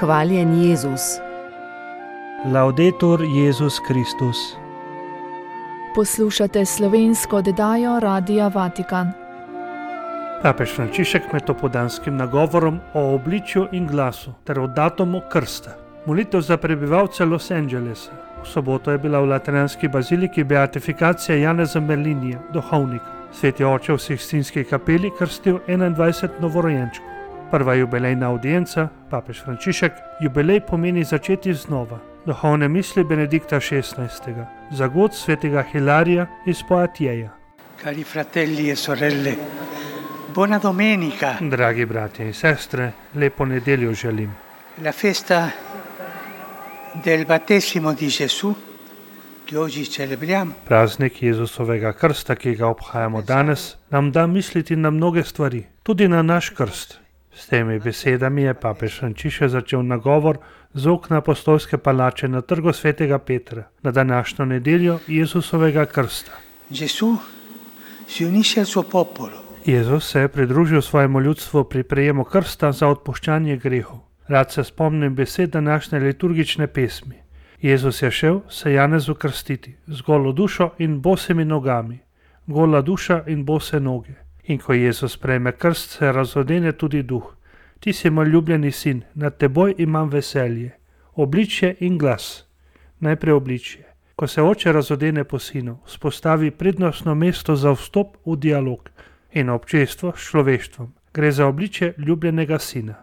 Hvaljen Jezus. Laudetur Jezus Kristus. Poslušate slovensko oddajo Radia Vatikan. Papež Frančišek med popoldanskim nagovorom o obličju in glasu ter o datumu krsta. Molitev za prebivalce Los Angelesa. V soboto je bila v lateranski baziliki beatifikacija Janeza Merlinija, duhovnika. Sveti oče v Sikstinski kapeli krstil 21 novorojenčkov. Prva jubilejna audienca, papež Frančišek, jubilej pomeni začeti znova. Duhovne misli Benedikta XVI. Zagod svetega Hilarija iz Poatieja. Cari fratelli e sorelle, buona domenica. Dragi bratje in sestre, lepo nedeljo želim. La festa del battesimo di Gesù, che oggi celebriamo. Praznik Jezusovega krsta, ki ga obhajamo danes, nam da misliti na mnoge stvari, tudi na naš krst. S temi besedami je papež Frančišek začel nagovor z okna apostolske palače na trgu svetega Petra na današnjo nedeljo Jezusovega krsta. Gesù si unisce al suo popolo. Jezus se je pridružil svojemu ljudstvu pri prejemu krsta za odpuščanje grehov. Rad se spomnim besed današnje liturgične pesmi. Jezus je šel se Janezu krstiti z golo dušo in bosimi nogami, gola duša in bose noge. In ko Jezus prejme krst, se razodene tudi duh. Ti si moj ljubljeni sin, nad teboj imam veselje. Obličje in glas. Najprej obličje. Ko se oče razodene po sinu, vzpostavi prednostno mesto za vstop v dialog in občestvo s človeštvom. Gre za obličje ljubljenega sina.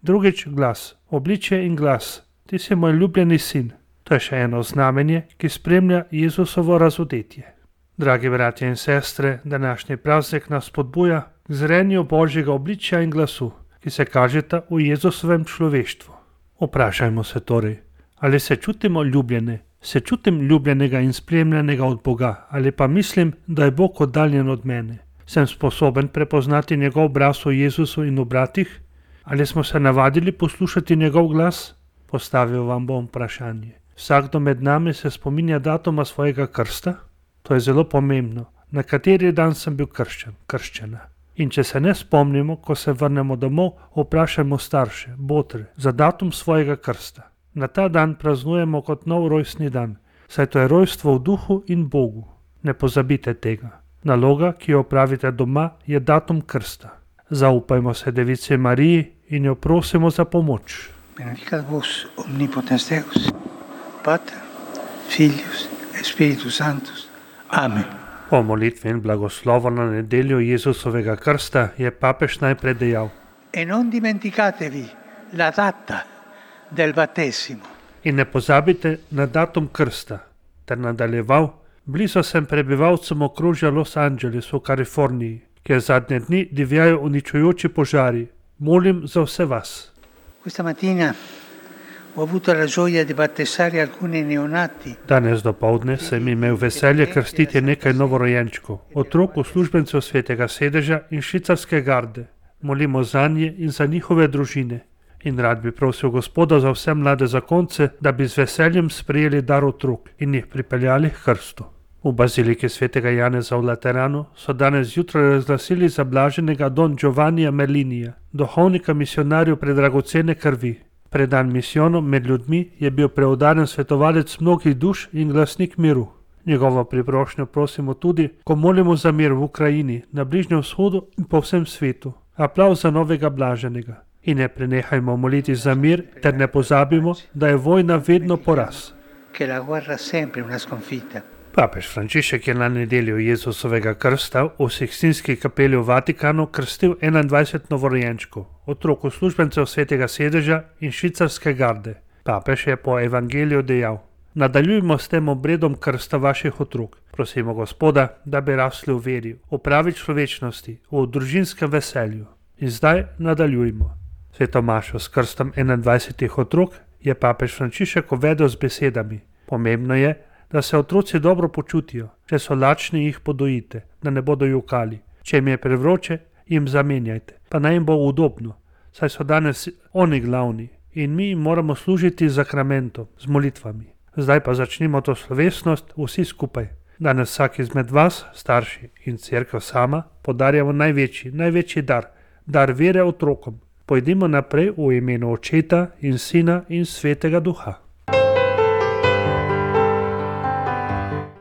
Drugič glas. Obličje in glas. Ti si moj ljubljeni sin. To je še eno znamenje, ki spremlja Jezusovo razodetje. Dragi bratje in sestre, današnji praznik nas spodbuja k zrenju Božjega obličja in glasu, ki se kažeta v Jezusovem človeštvu. Vprašajmo se torej, ali se čutimo ljubljene, se čutim ljubljenega in spremljenega od Boga, ali pa mislim, da je Bog oddaljen od mene. Sem sposoben prepoznati njegov obraz v Jezusu in v bratih? Ali smo se navadili poslušati njegov glas? Postavil vam bom vprašanje. Vsakdo med nami se spominja datuma svojega krsta? To je zelo pomembno. Na kateri dan sem bil krščena. In če se ne spomnimo, ko se vrnemo domov, vprašajmo starše, botre, za datum svojega krsta. Na ta dan praznujemo kot nov rojstni dan, saj to je rojstvo v duhu in Bogu. Ne pozabite tega. Naloga, ki jo opravite doma, je datum krsta. Zaupajmo se Devici Mariji in jo prosimo za pomoč. Benedicat vos omnipotens Deus, Pater, Filius et Spiritus Sanctus. Amen. Po molitvi in blagoslovu na nedeljo Jezusovega krsta je papež najprej dejal: E non dimenticatevi la data del battesimo. In ne pozabite na datum krsta, ter nadaljeval: blizu sem prebivalcem okrožja Los Angeles v Kaliforniji, kjer zadnje dni divjajo uničujoči požari. Molim za vse vas. Questa mattina ho avuto la gioia di battezzare alcuni neonati. Danes dopoldne sem imel veselje krstiti nekaj novorojenčkov, otrok uslužbencev svetega sedeža in švicarske garde. Molimo zanje in za njihove družine. In rad bi prosil Gospoda za vse mlade zakonce, da bi z veseljem sprejeli dar otrok in jih pripeljali k krstu. V baziliki svetega Janeza v Lateranu so danes zjutraj razglasili za blaženega Don Giovannija Merlinija, duhovnika misionarjev predragocene krvi. Predan misijonom med ljudmi je bil preudaren svetovalec mnogih duš in glasnik miru. Njegovo priprošnjo prosimo tudi, ko molimo za mir v Ukrajini, na Bližnjem vzhodu in po vsem svetu. Aplavz za novega blaženega. In ne prenehajmo moliti za mir, ter ne pozabimo, da je vojna vedno poraz. Che la guerra è sempre una sconfitta. Papež Frančišek je na nedeljo Jezusovega krsta v Sikstinski kapeli v Vatikanu krstil 21 novorojenčkov, otrok uslužbencev svetega sedeža in švicarske garde. Papež je po evangeliju dejal: nadaljujmo s tem obredom krsta vaših otrok. Prosimo Gospoda, da bi rasli v veri, v pravi človečnosti, v družinskem veselju. In zdaj nadaljujmo. Sveto mašo s krstom 21 otrok je papež Frančišek uvedel z besedami: pomembno je, da se otroci dobro počutijo. Če so lačni, jih podojite, da ne bodo jokali. Če jim je prevroče, jim zamenjajte, pa naj jim bo udobno, saj so danes oni glavni in mi jim moramo služiti z zakramentom, z molitvami. Zdaj pa začnimo to slovesnost vsi skupaj. Danes vsak izmed vas, starši in cerkev sama, podarjamo največji dar vere otrokom. Pojdimo naprej v imenu Očeta in Sina in Svetega Duha.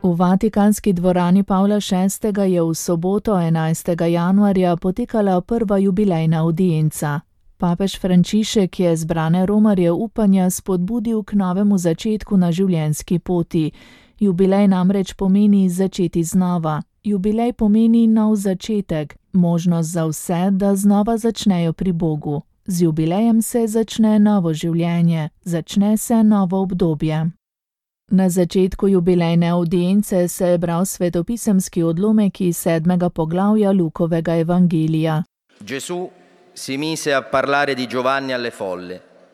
V Vatikanski dvorani Pavla VI. Je v soboto 11. januarja potekala prva jubilejna audienca. Papež Frančišek je zbrane romarje upanja spodbudil k novemu začetku na življenjski poti. Jubilej namreč pomeni začeti znova. Jubilej pomeni nov začetek, možnost za vse, da znova začnejo pri Bogu. Z jubilejem se začne novo življenje, začne se novo obdobje. Na začetku jubilejne audience se je bral svetopisemski odlomek iz 7. poglavja Lukovega evangelija.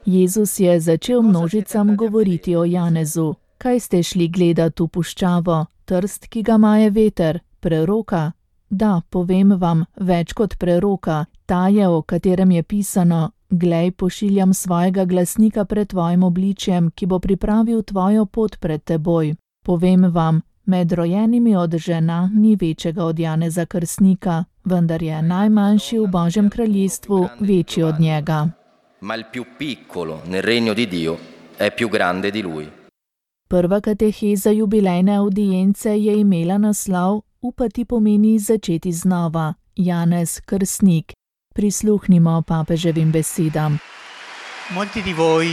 Jezus je začel množicam govoriti o Janezu. Kaj ste šli gledat v puščavo? Trst, ki ga maje veter? Preroka? Da, povem vam, več kot preroka. Ta je, o katerem je pisano: Glej, pošiljam svojega glasnika pred tvojim obličjem, ki bo pripravil tvojo pot pred teboj. Povem vam, med rojenimi od žena ni večjega od Janeza Krstnika, vendar je najmanjši v Božjem kraljestvu večji od njega. Prva kateheza jubilejne audience je imela naslov Upati pomeni začeti znova. Janez Krstnik. Prisluhnimo papeževim besedam. Molti di voi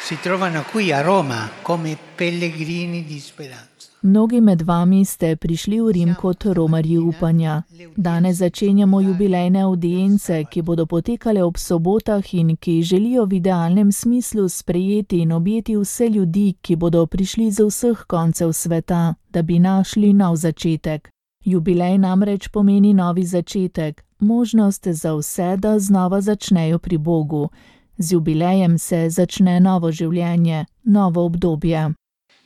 si trovano qui a Roma come pellegrini di speranza. Mnogi med vami ste prišli v Rim kot romarji upanja. Danes začenjamo jubilejne audience, ki bodo potekale ob sobotah in ki želijo v idealnem smislu sprejeti in objeti vse ljudi, ki bodo prišli z vseh koncev sveta, da bi našli nov začetek. Jubilej namreč pomeni novi začetek, možnost za vse, da znova začnejo pri Bogu. Z jubilejem se začne novo življenje, novo obdobje.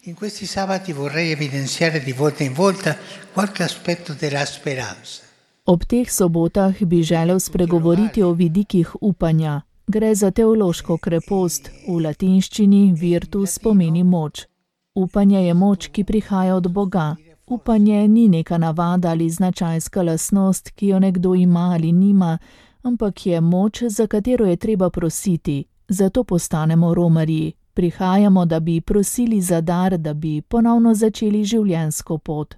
In questi sabati vorrei evidenziare di volta in volta qualche aspetto della speranza. Ob teh sobotah bi želel spregovoriti o vidikih upanja. Gre za teološko krepost, v latinščini virtus pomeni moč. Upanje je moč, ki prihaja od Boga. Upanje ni neka navada ali značajska lastnost, ki jo nekdo ima ali nima, ampak je moč, za katero je treba prositi. Zato postanemo romarji. Prihajamo, da bi prosili za dar, da bi ponovno začeli življenjsko pot.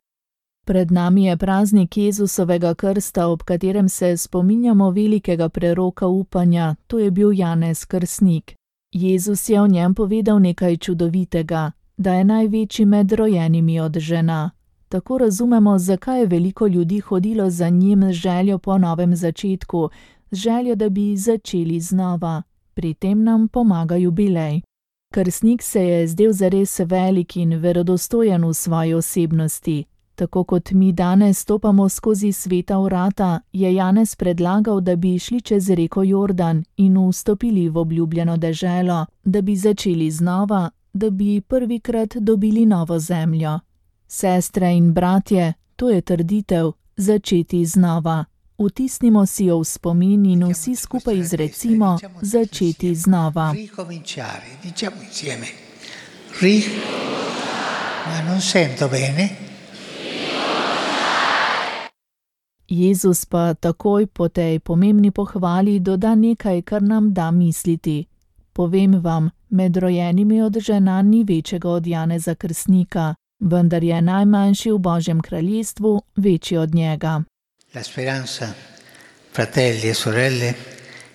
Pred nami je praznik Jezusovega krsta, ob katerem se spominjamo velikega preroka upanja, to je bil Janez Krstnik. Jezus je o njem povedal nekaj čudovitega, da je največji med rojenimi od žena. Tako razumemo, zakaj je veliko ljudi hodilo za njim z željo po novem začetku, z željo, da bi začeli znova. Pri tem nam pomaga jubilej. Krstnik se je zdel zares velik in verodostojen v svoji osebnosti. Tako kot mi danes stopamo skozi sveta vrata, je Janez predlagal, da bi šli čez reko Jordan in vstopili v obljubljeno deželo, da bi začeli znova, da bi prvikrat dobili novo zemljo. Sestre in bratje, to je trditev, začeti znova. Vtisnimo si jo v spomin in vsi skupaj izrecimo, začeti znova. Jezus pa takoj po tej pomembni pohvali doda nekaj, kar nam da misliti. Povem vam, med rojenimi od žena ni večjega od Janeza Krstnika, vendar je najmanjši v Božjem kraljestvu večji od njega. La speranza, fratelli e sorelle,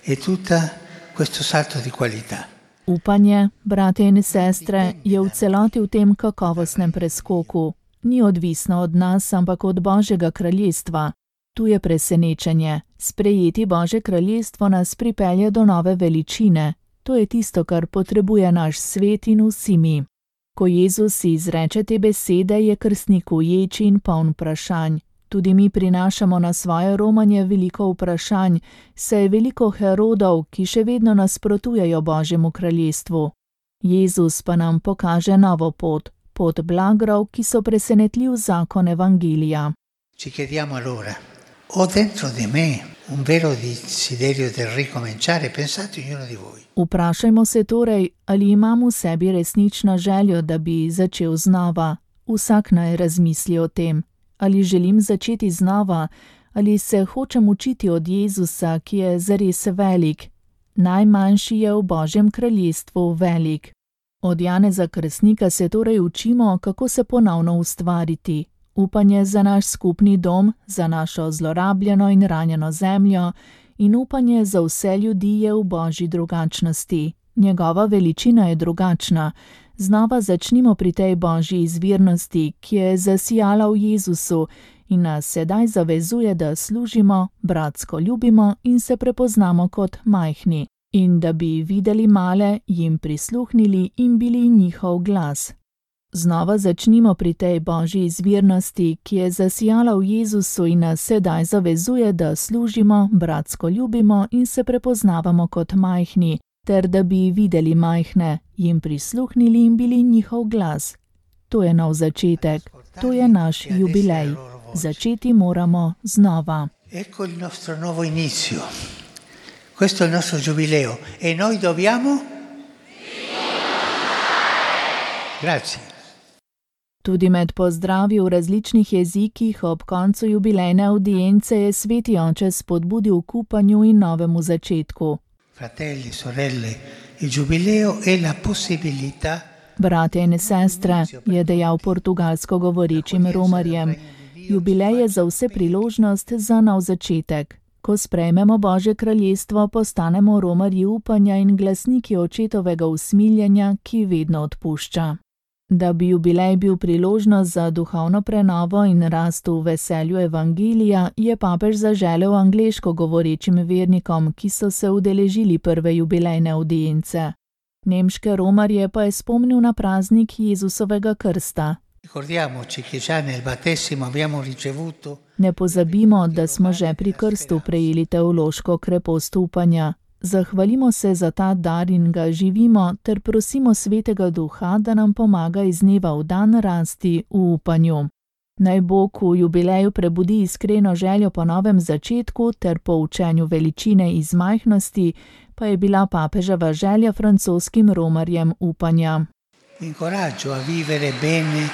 è tutta questo salto di qualità. Upanje, brate in sestre, je v celoti v tem kakovostnem preskoku. Ni odvisno od nas, ampak od Božjega kraljestva. Tu je presenečenje. Sprejeti Božje kraljestvo nas pripelje do nove veličine. To je tisto, kar potrebuje naš svet in vsi mi. Ko Jezus izreče te besede, je krstnik uječi in poln vprašanj. Tudi mi prinašamo na svoje romanje veliko vprašanj, saj je veliko Herodov, ki še vedno nasprotujejo Božjemu kraljestvu. Jezus pa nam pokaže novo pot, pot blagrov, ki so presenetljiv zakon evangelija. Ci chiediamo allora, ho dentro di me un vero desiderio del ricominciare, pensate ognuno di voi. Vprašajmo se torej, ali imam v sebi resnično željo, da bi začel znova. Vsak naj razmisli o tem. Ali želim začeti znova, ali se hočem učiti od Jezusa, ki je zares velik, Najmanjši je v Božjem kraljestvu velik. Od Janeza Krstnika se torej učimo, kako se ponovno ustvariti. Upanje za naš skupni dom, za našo zlorabljeno in ranjeno zemljo in upanje za vse ljudi je v Božji drugačnosti. Njegova veličina je drugačna. Znova začnimo pri tej Božji izvirnosti, ki je zasijala v Jezusu in nas sedaj zavezuje, da služimo, bratsko ljubimo in se prepoznamo kot majhni. In da bi videli male, jim prisluhnili in bili njihov glas. Znova začnimo pri tej Božji izvirnosti, ki je zasijala v Jezusu in nas sedaj zavezuje, da služimo, bratsko ljubimo in se prepoznavamo kot majhni, ter da bi videli majhne, jim prisluhnili in bili njihov glas. To je nov začetek, to je naš jubilej. Začeti moramo znova. Ecco il nostro nuovo inizio. Questo è il nostro giubileo e noi dobbiamo. Grazie. Tudi med pozdravi v različnih jezikih ob koncu jubilejne avdience je Sveti Oče spodbudil k upanju in novemu začetku. Fratelli, sorelle, il giubileo è la possibilità. Bratje in sestre, je dejal portugalsko govorečim Romarjem, jubilej je za vse priložnost za nov začetek. Ko sprejmemo Božje kraljestvo, postanemo romarji upanja in glasniki očetovega usmiljenja, ki vedno odpušča. Da bi jubilej bil priložnost za duhovno prenovo in rast v veselju evangelija, je papež zaželel angleško govorečim vernikom, ki so se udeležili prve jubilejne avdience. Nemške romarje pa je spomnil na praznik Jezusovega krsta. Ne pozabimo, da smo že pri krstu prejeli teološko krepost upanja. Zahvalimo se za ta dar in ga živimo, ter prosimo Svetega Duha, da nam pomaga iz dneva v dan rasti v upanju. Naj Bog v jubileju prebudi iskreno željo po novem začetku ter po učenju veličine iz majhnosti, pa je bila papeževa želja francoskim romarjem upanja. Incoraggio a vivere bene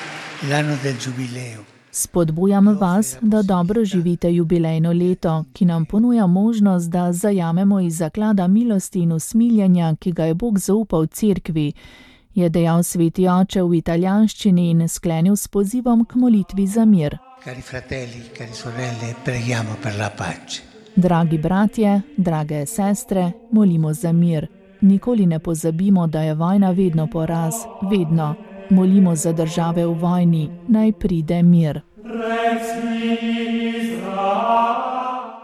l'anno del giubileo. Spodbujam vas, da dobro živite jubilejno leto, ki nam ponuja možnost, da zajamemo iz zaklada milosti in usmiljenja, ki ga je Bog zaupal cerkvi, je dejal Sveti Oče v italijanščini in sklenil s pozivom k molitvi za mir. Cari fratelli, cari sorelle, preghiamo per la pace. Dragi bratje, drage sestre, molimo za mir. Nikoli ne pozabimo, da je vojna vedno poraz, vedno. Molimo za države v vojni, naj pride mir.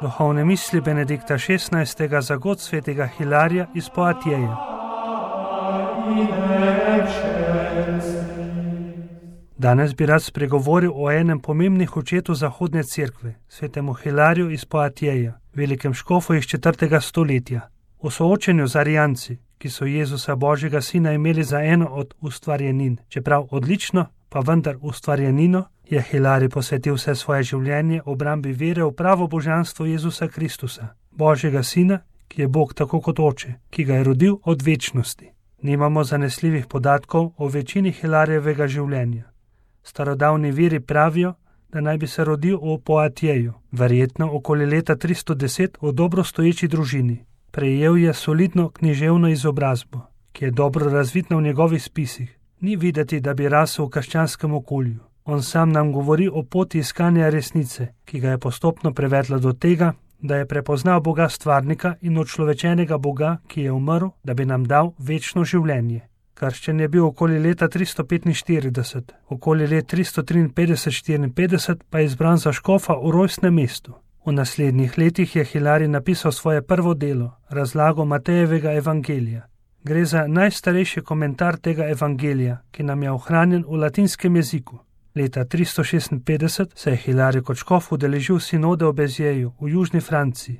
Duhovne misli Benedikta XVI. Za god svetega Hilarija iz Poatjeja. Danes bi rad spregovoril o enem pomembnih očetu zahodne cerkve, svetemu Hilariju iz Poatjeja, velikem škofu iz 4. stoletja. V soočenju z Arijanci, ki so Jezusa Božjega Sina imeli za eno od ustvarjenin, čeprav odlično, pa vendar ustvarjenino, je Hilarij posvetil vse svoje življenje obrambi vere v pravo božanstvo Jezusa Kristusa, Božjega Sina, ki je Bog tako kot Oče, ki ga je rodil od večnosti. Nimamo zanesljivih podatkov o večini Hilarijevega življenja. Starodavni viri pravijo, da naj bi se rodil v Poatjeju, verjetno okoli leta 310 v dobro stoječi družini. Prejel je solidno književno izobrazbo, ki je dobro razvidna v njegovih spisih. Ni videti, da bi rasel v krščanskem okolju. On sam nam govori o poti iskanja resnice, ki ga je postopno prevedla do tega, da je prepoznal Boga stvarnika in očlovečenega Boga, ki je umrl, da bi nam dal večno življenje. Krščen je bil okoli leta 345, okoli let 353-54 pa je izbran za škofa v rojstnem mestu. V naslednjih letih je Hilarij napisal svoje prvo delo, razlago Matejevega evangelija. Gre za najstarejši komentar tega evangelija, ki nam je ohranjen v latinskem jeziku. Leta 356 se je Hilarij kot škof udeležil sinode v Bezjeju v južni Franciji,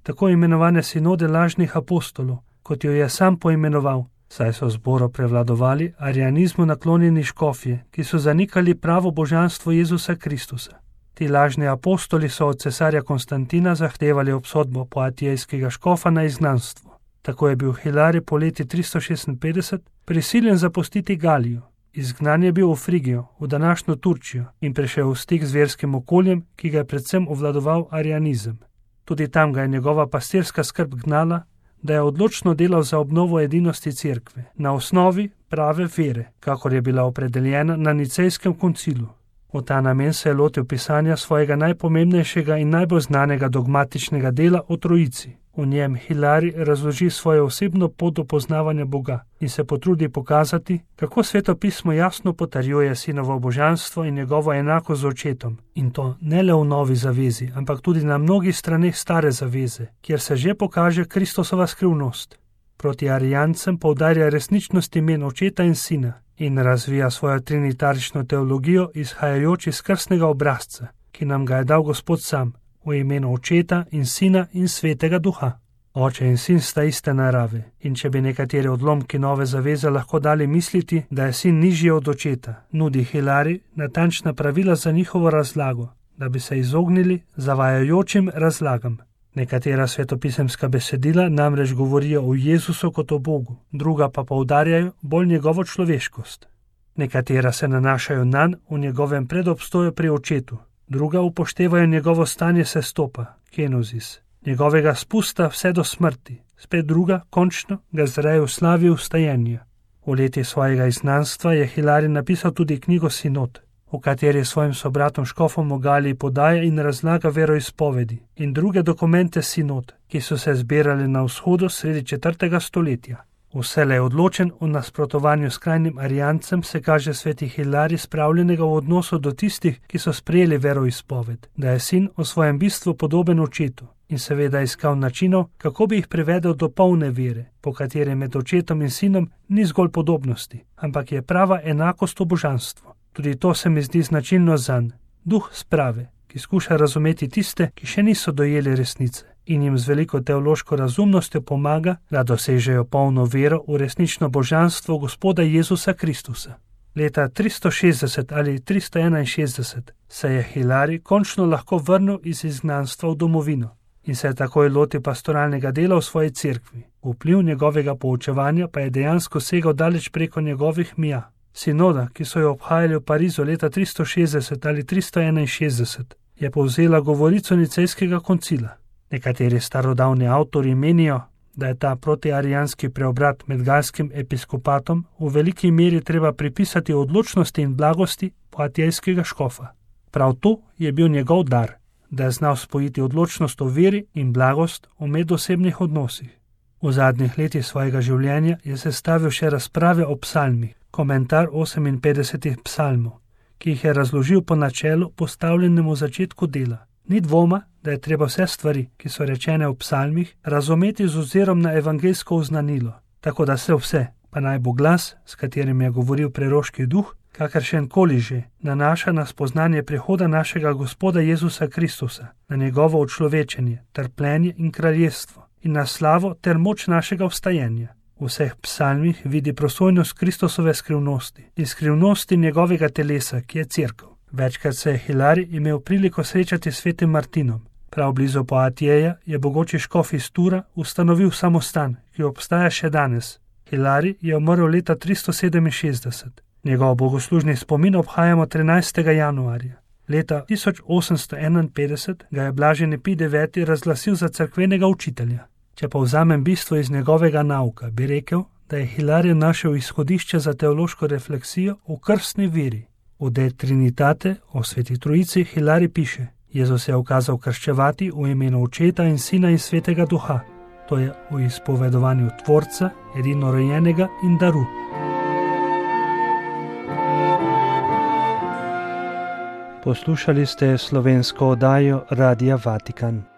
tako imenovane sinode lažnih apostolov, kot jo je sam poimenoval, saj so zboru prevladovali arijanizmu naklonjeni škofje, ki so zanikali pravo božanstvo Jezusa Kristusa. Ti lažni apostoli so od cesarja Konstantina zahtevali obsodbo poatijskega škofa na izgnanstvo. Tako je bil Hilarij po leti 356 prisiljen zapustiti Galijo. Izgnan je bil v Frigijo, v današnjo Turčijo in prišel v stik z verskim okoljem, ki ga je predvsem obvladoval arijanizem. Tudi tam ga je njegova pastirska skrb gnala, da je odločno delal za obnovo edinosti cerkve, na osnovi prave vere, kakor je bila opredeljena na Nicejskem koncilu. V ta namen se je lotil pisanja svojega najpomembnejšega in najbolj znanega dogmatičnega dela o Trojici. V njem Hilari razloži svojo osebno pot do poznavanja Boga in se potrudi pokazati, kako Sveto pismo jasno potrjuje Sinovo božanstvo in njegovo enakost z Očetom. In to ne le v Novi zavezi, ampak tudi na mnogih straneh Stare zaveze, kjer se že pokaže Kristusova skrivnost. Proti arijancem poudarja resničnost imen Očeta in Sina in razvija svojo trinitarično teologijo izhajajoč iz krstnega obrazca, ki nam ga je dal Gospod sam, v imenu Očeta in Sina in Svetega Duha. Oče in Sin sta iste narave, in če bi nekateri odlomki Nove zaveze lahko dali misliti, da je Sin nižji od Očeta, nudi Hilari natančna pravila za njihovo razlago, da bi se izognili zavajajočim razlagam. Nekatera svetopisemska besedila namreč govorijo o Jezusu kot o Bogu, druga pa poudarjajo bolj njegovo človeškost. Nekatera se nanašajo nanj v njegovem predobstoju pri Očetu, druga upoštevajo njegovo stanje sestopa, kenozis, njegovega spusta vse do smrti, spet druga, končno, ga zreje v slavi vstajenja. V letih svojega izgnanstva je Hilari napisal tudi knjigo Sinod, v kateri svojim sobratom škofom v Galiji podaja in razlaga veroizpovedi in druge dokumente Sinod, ki so se zbirali na vzhodu sredi 4. stoletja. Vselej odločen v nasprotovanju skrajnim arijancem se kaže sveti Hilari spravljenega v odnosu do tistih, ki so sprejeli veroizpoved, da je Sin v svojem bistvu podoben Očetu in seveda iskal načinov, kako bi jih privedel do polne vere, po kateri med Očetom in Sinom ni zgolj podobnosti, ampak je prava enakost v božanstvu. Tudi to se mi zdi značilno zanj, duh sprave, ki skuša razumeti tiste, ki še niso dojeli resnice in jim z veliko teološko razumnostjo pomaga, da dosežejo polno vero v resnično božanstvo Gospoda Jezusa Kristusa. Leta 360 ali 361 se je Hilari končno lahko vrnil iz izgnanstva v domovino in se je takoj lotil pastoralnega dela v svoji cerkvi. Vpliv njegovega poučevanja pa je dejansko segal daleč preko njegovih mija. Sinoda, ki so jo obhajali v Parizu leta 360 ali 361, je povzela govorico Nicejskega koncila. Nekateri starodavni avtori menijo, da je ta protiarijanski preobrat med galskim episkopatom v veliki meri treba pripisati odločnosti in blagosti poatijskega škofa. Prav to je bil njegov dar, da je znal spojiti odločnost v veri in blagost v medosebnih odnosih. V zadnjih letih svojega življenja je sestavil še razprave o psalmih, komentar 58 psalmov, ki jih je razložil po načelu postavljenemu v začetku dela. Ni dvoma, da je treba vse stvari, ki so rečene v psalmih, razumeti z ozirom na evangeljsko oznanilo, tako da se vse, pa naj bo glas, s katerim je govoril preroški duh, kakršenkoli že, nanaša na spoznanje prihoda našega Gospoda Jezusa Kristusa, na njegovo učlovečenje, trpljenje in kraljestvo, in na slavo ter moč našega vstajenja. V vseh psalmih vidi prosojnost Kristusove skrivnosti in skrivnosti njegovega telesa, ki je cerkev. Večkrat se je Hilari imel priliko srečati s svetim Martinom. Prav blizu Poatijeja je bogoči škof iz Tura ustanovil samostan, ki obstaja še danes. Hilari je umrl leta 367. Njegov bogoslužni spomin obhajamo 13. januarja. Leta 1851 ga je blaženi Pij IX. Razglasil za cerkvenega učitelja. Če povzamem bistvo iz njegovega nauka, bi rekel, da je Hilari našel izhodišče za teološko refleksijo v krstni veri. V De Trinitate o Sveti Trojici Hilari piše: Jezus je ukazal krščevati v imenu Očeta in Sina in Svetega Duha, to je v izpovedovanju Tvorca, edinorojenega in daru. Poslušali ste slovensko oddajo Radia Vatikan.